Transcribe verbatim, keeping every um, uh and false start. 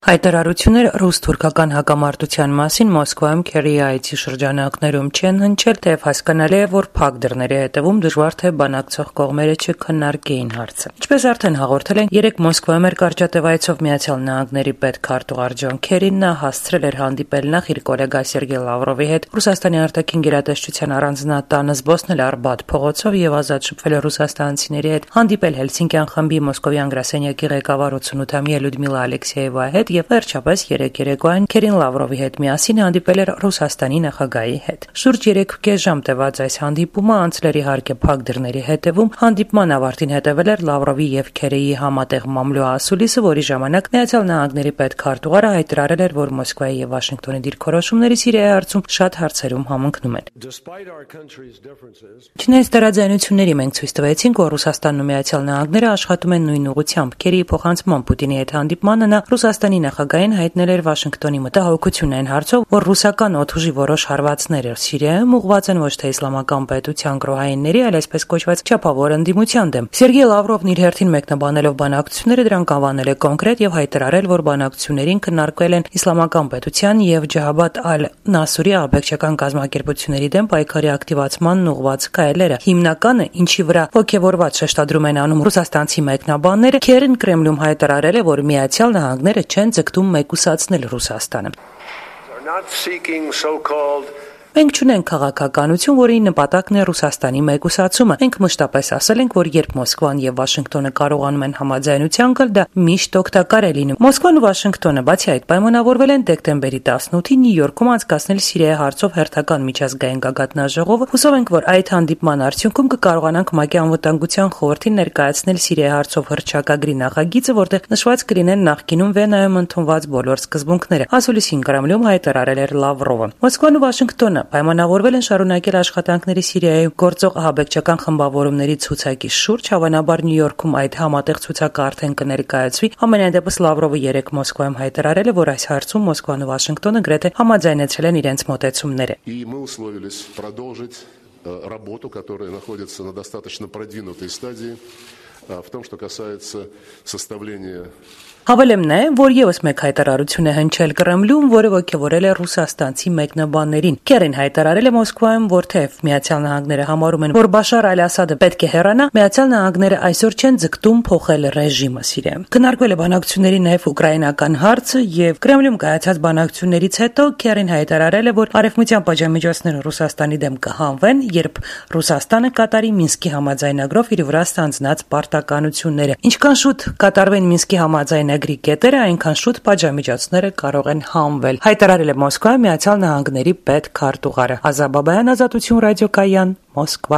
Հայտարարություններ ռուս-թուրքական հակամարտության մասին Մոսկվայում Քերիի այցի շրջանակներում չեն հնչել, թեև հասկանալի է, որ փակ դռների հետևում դժվար թե բանակցող կողմերը չքննարկեին հարցը։ Ինչպես արդեն հաղորդել են, երեկ Մոսկվայում էր կարճատև այցով Միացյալ Նահանգների պետքարտուղար Ջոն Քերին, նա հասցրել էր հանդիպել նախ իր գոլեգա Սերգեյ Լավրովի հետ Ռուսաստանի արտաքին գերատեսչության առանձնատանը, զբոսնել Արբաթ փողոցով եւ ազատ շփվել ռուսաստանցիների հետ, հանդիպել Հելսինկյան խմբի Մոսկովյան գրասենյակի ղեկավար ութսունութամյա Լյուդմիլա Ալեքսեևայի հետ եւ վերջապես երեք երեկոյան Քերին Լավրովի հետ միասին հանդիպել էր Ռուսաստանի նախագահի հետ։ Շուրջ երեք ժամ տևած այս հանդիպումը անցել էր իհարկե փակ դռների հետևում։ Հանդիպման ավարտին հետևել էր Լավրովի եւ Քերիի համատեղ մամլո ասուլիսը, որի ժամանակ Միացյալ Նահանգների պետքարտուղարը հայտարարել էր, որ Մոսկվայի եւ Վաշինգտոնի դիրքորոշումները Սիրիայի հարցում շատ հարցերում համընկնում են։ Չնայած տարաձայնությունների, մենք ցույց տվեցինք, որ Ռուսաստանն ու Միացյալ Նահանգները աշխատում են նույն ուղղությամբ։ Քերիի փոխանցման Պուտինի հետ հանդիպմանը նա Ռուսաստանի նախագահին հայտնել էր Վաշինգտոնի մտահոգությունն այն հարցով, որ ռուսական օդուժի որոշ հարվածներ Սիրիայում ուղղված են ոչ թե իսլամական պետության գրոհայինների, այլ այսպես կոչված չափավոր ընդդիմության դեմ։ Սերգեյ Լավրովն իր հերթին մեկնաբանելով բանակցությունները դրանք անվանել է կոնկրետ եւ հայտարարել, որ բանակցություններին քննարկվել են իսլամական պետության եւ Ջահաբաթ ալ-Նասուրի աբեկչական կազմակերպությունների դեմ պայքարի ակտիվացմանն ուղղված քայլերը։ Հիմնականը, ինչի վրա ոգևորված շեշտադրում են անում ռուսաստանցի մեկնաբանները, Քերին Կրեմլում հայտարարել է, որ Միացյալ Նահանգները չեն ձգտում մեկուսացնել Ռուսաստանը։ Մենք չունենք քաղաքականություն, որի նպատակն է Ռուսաստանի մեկուսացումը։ Մենք մշտապես ասել ենք, որ երբ Մոսկվան եւ Վաշինգտոնը կարողանում են համաձայնության գալ, դա միշտ օգտակար է լինում։ Մոսկվան ու Վաշինգտոնը բացի այդ պայմանավորվել են դեկտեմբերի տասնութին Նյու Յորքում անցկացնել Սիրիայի հարցով հերթական միջազգային գագաթնաժողովը։ Հուսով ենք, որ այդ հանդիպման արդյունքում կկարողանանք ՄԱԿ-ի անվտանգության խորհրդին ներկայացնել Սիրիայի հարցով հռչակագրի նախագիծը, որտեղ նշված կլինեն նախկինում Վենայում ընդունված բոլոր սկզբունքները։ Ասուլիսին Կրեմլում հայտարարել էր Լավրովը։ Մոսկվան ու Վաշինգտոնը պայմանավորվել են շարունակել աշխատանքների Սիրիայում գործող ահաբեկչական խմբավորումների ցուցակի շուրջ, հավանաբար Նյու Յորքում այդ համատեղ ցուցակը արդեն կներկայացվի։ Համենայն դեպս Լավրովը երեկ Մոսկվայում հայտարարել է, որ այս հարցում Մոսկվան ու Վաշինգտոնը գրեթե համաձայնեցրել են իրենց մոտեցումները։ Работу, которая находится на достаточно продвинутой стадии, в том, что касается составления. Հավելեմ նաև, որ եւս մեկ հայտարարություն է հնչել Կրեմլում, որը ոգևորել է ռուսաստանցի մեկնաբաններին։ Քերին հայտարարել է Մոսկվայում, որ թեև Միացյալ Նահանգները համարում են, որ Բաշար Ալ-Ասադը պետք է հեռանա, Միացյալ Նահանգները այսօր չեն ձգտում փոխել ռեժիմը Սիրիայում։ Քննարկվել է բանակցությունների նաև ուկրաինական հարցը եւ Կրեմլում կայացած բանակցություններից հետո Քերին հայտարարել է, որ արևմտյան պատժամիջոցները Ռուսաստանի դեմ կհանվեն, երբ Ռուսաստանը կատարի Մինսկի համաձայնագրով իր վրա ստանձնած պարտականությունները։ Ինչքան շուտ կատարվեն Մինսկի համաձայնագրը Գրի կետերը, այնքան շուտ պատժամիջոցները կարող են հանվել, հայտարարել է Մոսկվայի Միացյալ Նահանգների պետքարտուղարը։ Ազա Բաբայան, Ազատություն ռադիոկայան, Մոսկվա։